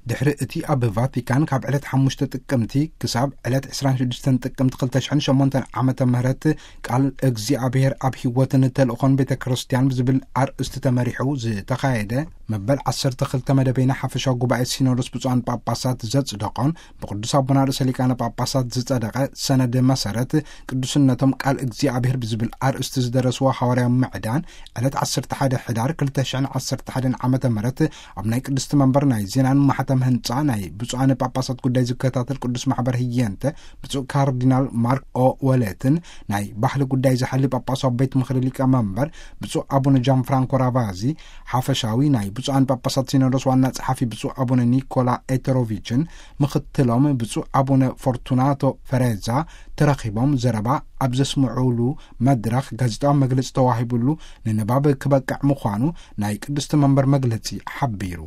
ድሕሪ እቲ ኣብ ቫቲካን ካብ ዕለት ሓሙሽተ ጥቅምቲ ክሳብ ዕለት ዕስራን ሽዱሽተን ጥቅምቲ ክልተ ሽሕን ሸሞንተን ዓመተ ምህረት ቃል እግዚኣብሔር ኣብ ህይወትን ተልእኾን ቤተ ክርስቲያን ብዝብል ኣርእስቲ ተመሪሑ ዝተኻየደ መበል ዓሰርተ ክልተ መደበይና ሓፈሻዊ ጉባኤ ሲኖዶስ ብፁዓን ጳጳሳት ዘጽደቖን ብቅዱስ ኣቦና ርእሰ ሊቃነ ጳጳሳት ዝጸደቐ ሰነድ መሰረት ቅዱስነቶም ቃል እግዚኣብሔር ብዝብል ኣርእስቲ ዝደረስዎ ሃዋርያዊ ምዕዳን ዕለት ዓሰርተ ሓደ ሕዳር ክልተ ሽሕን ዓሰርተ ሓደን ዓመተ ምህረት ኣብ ናይ ቅድስቲ መንበር ናይ ዜናን ማሕተም ህንጻ ናይ ብፁዓን ጳጳሳት ጉዳይ ዝከታተል ቅዱስ ማሕበር ህየንተ ብፁዕ ካርዲናል ማርክ ኦ ወሌትን ናይ ባህሊ ጉዳይ ዝሓሊ ጳጳሳዊ ቤት ምኽሪ ሊቀ መንበር ብፁዕ ኣቡነ ጃን ፍራንኮ ራቫዚ፣ ሓፈሻዊ ናይ ብፁዓን ጳጳሳት ሲኖዶስ ዋና ጸሓፊ ብፁዕ ኣቡነ ኒኮላ ኤተሮቪችን፣ ምኽትሎም ብፁዕ ኣቡነ ፎርቱናቶ ፈሬዛ ተረኺቦም ዘረባ ኣብ ዘስምዑሉ መድረኽ ጋዜጣዊ መግለጺ ተዋሂቡሉ ንንባብ ክበቅዕ ምዃኑ ናይ ቅድስቲ መንበር መግለጺ ሓቢሩ።